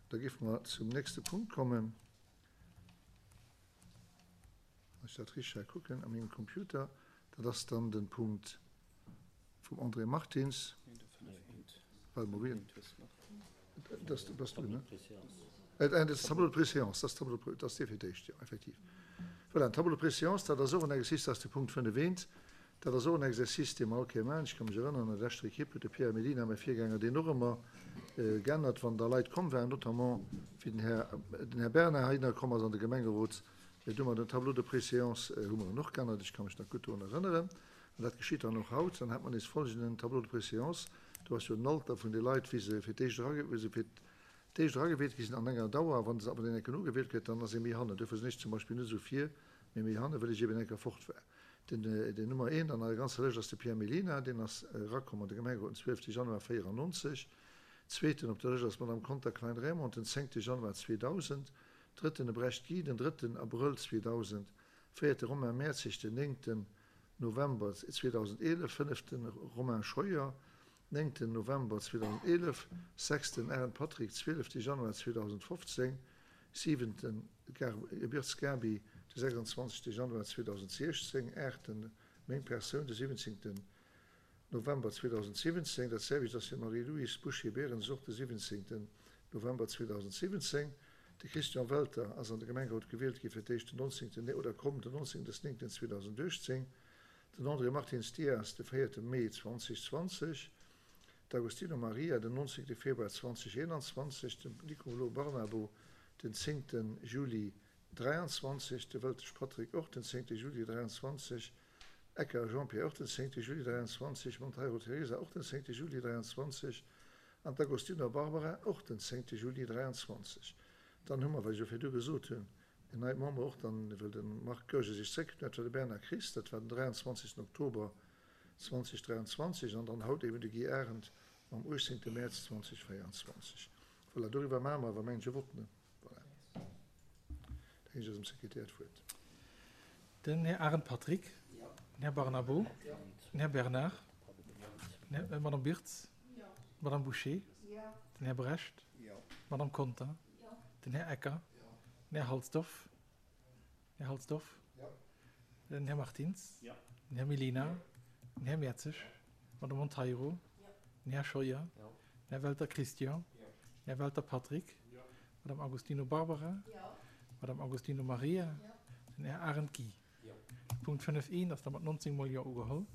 Da géife mer zum nächste Punkt kommen. Wann ech dat richteg hei kucken a mengem Computer, dat ass dann de Punkt vum André Martins. Well mer wien? Dat bass du, ne? Dat ass Tableau de préséance, dat ass Tableau de, dat ass dee fir d'éischt, jo, effektiv. Voilà, den Tableau de préséance, dat ass och en Exercice, dat ass de Punkt 5 eent. Dat ass och en Exercice, dee mer all Kéier maachen. Ech ka mech erënneren, an der leschter Ekipp huet de Pierre Mellina, mäi Virgänger, deen och ëmmer geännert, wann da Leit komm waren, notamment wéi den Här, den Här Bernard heihinner komm ass an de Gemengerot, do hu mer den Tableau de préséance hu mer en och geännert. Ech ka mech nach gutt dorun erënneren. An dat geschitt dann och haut. Dann hat mer nees folgenden Tableau de préséance, do ass jo den Alter vun de Leit, wéi se fir d'éischt erage, wéi se fir d'éischt eragewielt gi sinn an enger Dauer. A wann se awer dann enken ugewielt gëtt, dann ass ee méi hannen. Duerfir sinn ech zum Beispill net esou vir, mee méi hannen, well ech eben enker fort war. Den den Nummer eent an eiser ganzer Lëscht ass de Pierre Mellina, deen ass erakomm an de Gemengerot den 12 Januar 94. Zweeten op der Lëscht ass d'Madame Conter Klein-Raymond den 10 Januar 2000. Drëtten de Brecht Guy den drëtten Abrëll 2000. Véierte Romain Mertzig den néngten November 2011. Fënneften Romain Scheuer néngten November 2011. Sechsten Arendt Patrick zwielefte Januar 2015. Siwenten Gebirts Gaby, de 26 Januar 2016, Aachten Meng Persoun, de 17 November 2017, dat selwecht ass fir d'Marie-Louise Boucher-Berens och de 17 November 2017. De Christian Welter ass an de Gemengerot gewielt gi fir d'éischt den 19 oder komm den 19 des 9 2018, den André Martins Dias de 4 Mee 2020, D'Agostino Maria den 19 Februar 2021, de Nicolo Barnabo den 10 Juli 23, de Weltesch Patrick och den 10 Juli 23, Ecker Jean-Pierre och den 10 Juli 23, Monteiro Teresa och den 10 Juli 23 an d'Agostino Barbara och den 10 Juli 23. Dann hu mer, wat ech jo virdu gesot hunn, en neit Member och dann, well de Marc Goergen sech zréckgezu huet, dat war de Bernard Christ, dat war den 23 Oktober 2023 an dann haut eben de Guy Arendt mam 18 Mäerz 2024. Voilà, doriwwer maache mer awer, mengen ech, e Vott, ne? Voilà. Da ginn ech eisem Sekretär d'Wuert. Den Här Arendt Patrick. Den Här Barnabo. Den Här Bernard. D'Madame Birtz. D'Madame Bouché. Den Här Brecht. D'Madame Conter. Den Här Ecker. Den Här Halsdorf. Här Halsdorf. Den Här Martins. Den Här Mellina. Den Här Mertzig. D'Madame Monteiro. Den Här Scheuer. Den Här Welter Christian. Den Här Welter Patrick. D'Madame Agostino Barbara. D'Madame Agostino Maria. Den Här Arendt Guy. Punkt 5 I ass da mat 19 mol Jo ugeholl.